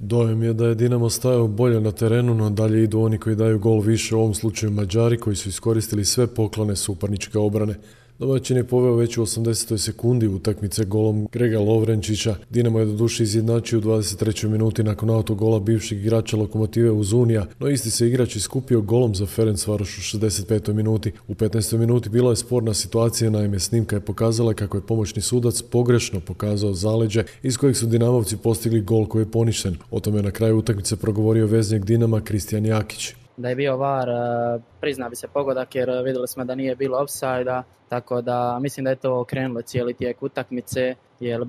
Dojam je da je Dinamo stajao bolje na terenu, no dalje idu oni koji daju gol više, u ovom slučaju Mađari koji su iskoristili sve poklone suparničke obrane. Domaćin je poveo već u 80. sekundi utakmice golom Grega Lovrenčića. Dinamo je doduše izjednačio u 23. minuti nakon autogola bivšeg igrača Lokomotive Uzunija, no isti se igrač iskupio golom za Ferencvaroš u 65. minuti. U 15. minuti bila je sporna situacija, naime snimka je pokazala kako je pomoćni sudac pogrešno pokazao zaleđe iz kojeg su Dinamovci postigli gol koji je poništen. O tome je na kraju utakmice progovorio veznik Dinama Kristijan Jakić. Da je bio VAR, prizna bi se pogodak jer vidjeli smo da nije bilo ofsajda, tako da mislim da je to okrenulo cijeli tijek utakmice, jer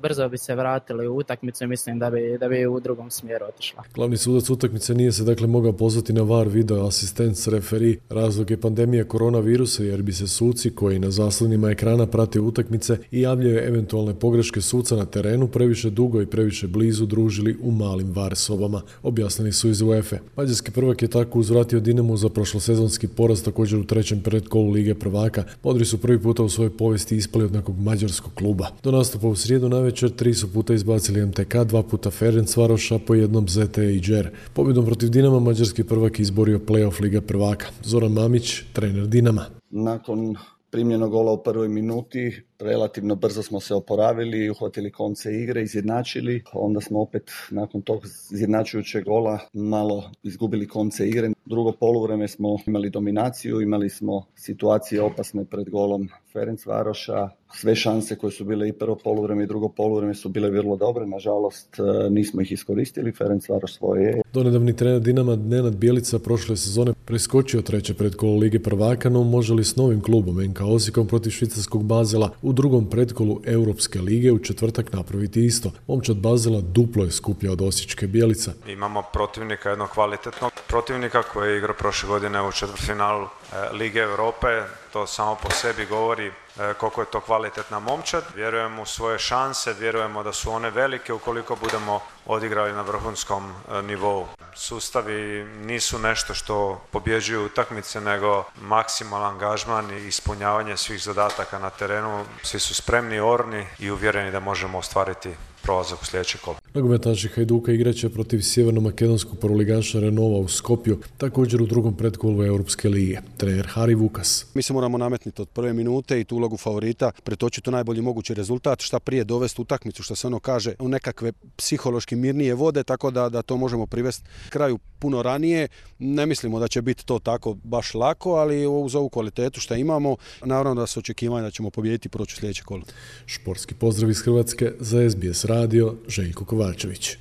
brzo bi se vratili u utakmicu i mislim da bi u drugom smjeru otišla. Glavni sudac utakmice nije se dakle mogao pozvati na VAR video asistent referi. Razlog je pandemija koronavirusa jer bi se suci koji na zaslonima ekrana prate utakmice i javljaju eventualne pogreške suca na terenu previše dugo i previše blizu družili u malim VAR sobama, objasnili su iz UEFA. Mađarski prvak je tako uzvratio Dinamo za prošlosezonski poraz također u trećem predkolu Lige prvaka. Modri su prvi puta u svojoj povijesti ispali od nekog mađarskog kluba. Do nastupa u srijedu navečer 3 su puta izbacili MTK, 2 puta Ferencvaroš, a po jednom ZTE i Džer. Pobjedom protiv Dinama mađarski prvak izborio play-off Lige prvaka. Zoran Mamić, trener Dinama. Nakon primljenog gola u prvoj minuti relativno brzo smo se oporavili, uhvatili konce igre, izjednačili. Onda smo opet nakon tog izjednačujućeg gola malo izgubili konce igre. Drugo poluvreme smo imali dominaciju, imali smo situacije opasne pred golom Ferencvaroša. Sve šanse koje su bile i prvo poluvreme i drugo poluvreme su bile vrlo dobre. Nažalost, nismo ih iskoristili. Ferencvaroš svoje je. Donedavni trener Dinama Nenad Bjelica prošle sezone preskočio treće predkolo Lige prvaka, no može li s novim klubom NK Osijekom protiv švicarskog Basela u drugom pretkolu Europske lige u četvrtak napraviti isto? Momčad Basela duplo je skuplja od osječke Bjelica. Imamo protivnika, jednog kvalitetnog protivnika koji je igrao prošle godine u četvrtfinalu Lige Europe. To samo po sebi govori koliko je to kvalitetna momčad. Vjerujemo u svoje šanse, vjerujemo da su one velike ukoliko budemo odigrali na vrhunskom nivou. Sustavi nisu nešto što pobjeđuju utakmice, nego maksimalan angažman i ispunjavanje svih zadataka na terenu. Svi su spremni, orni i uvjereni da možemo ostvariti prolazak u sljedeće kolo. Nogometaši Hajduka igraće protiv sjeverno-makedonskog prvoligaša Renova u Skopju, također u drugom pretkolu Europske lige. Trener Hari Vukas. Mi se moramo nametniti od prve minute i tu ulogu favorita, pretočiti u najbolji mogući rezultat, šta prije dovesti utakmicu, što se ono kaže, u nekakve psihološki mirnije vode, tako da to možemo privesti kraju puno ranije. Ne mislimo da će biti to tako baš lako, ali uz ovu kvalitetu što imamo, naravno da se očekivanja da ćemo pobijediti i proći u sljedeće kolo. Športski pozdrav iz Hrvatske za SBS radio, Željko Kovačević.